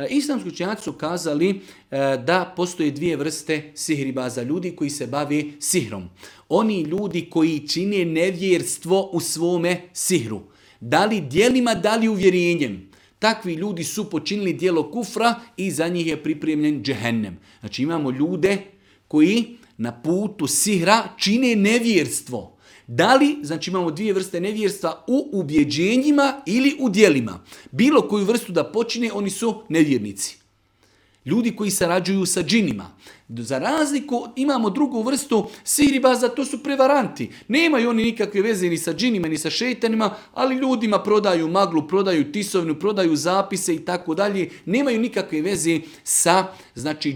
Islamski učenjaci su kazali da postoje dvije vrste sihribaza, ljudi koji se bave sihrom. Oni ljudi koji čine nevjerstvo u svome sihru. Da li djelima, da li uvjerenjem. Takvi ljudi su počinili djelo kufra i za njih je pripremljen džehennem. Znači imamo ljude koji na putu sihra čine nevjerstvo. Da li, znači imamo dvije vrste nevjerstva u ubjeđenjima ili u djelima. Bilo koju vrstu da počine, oni su nevjernici. Ljudi koji sarađuju sa džinima. Za razliku imamo drugu vrstu sihribaza, to su prevaranti. Nemaju oni nikakve veze ni sa džinima, ni sa šeitanima, ali ljudima prodaju maglu, prodaju tisovinu, prodaju zapise i tako dalje. Nemaju nikakve veze sa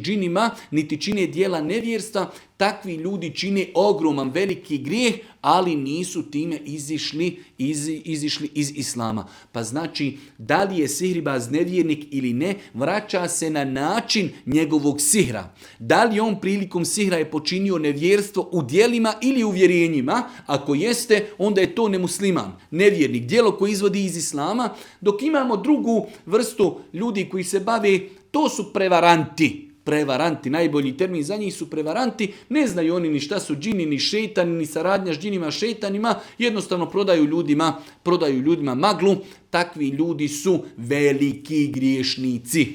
džinima, niti čine dijela nevjerstva. Takvi ljudi čine ogroman, veliki grijeh, ali nisu time izišli iz islama. Pa znači, da li je sihribaz nevjernik ili ne, vraća se na način njegovog sihra. Da li on prilikom sihra je počinio nevjerstvo u djelima ili u vjerenjima? Ako jeste, onda je to nemusliman, nevjernik, djelo koje izvodi iz islama. Dok imamo drugu vrstu ljudi koji se bave, to su prevaranti. Prevaranti, najbolji termin za njih su prevaranti, ne znaju oni ni šta su džini, ni šejtani, ni saradnja s džinima, šejtanima, jednostavno prodaju ljudima maglu. Takvi ljudi su veliki griješnici.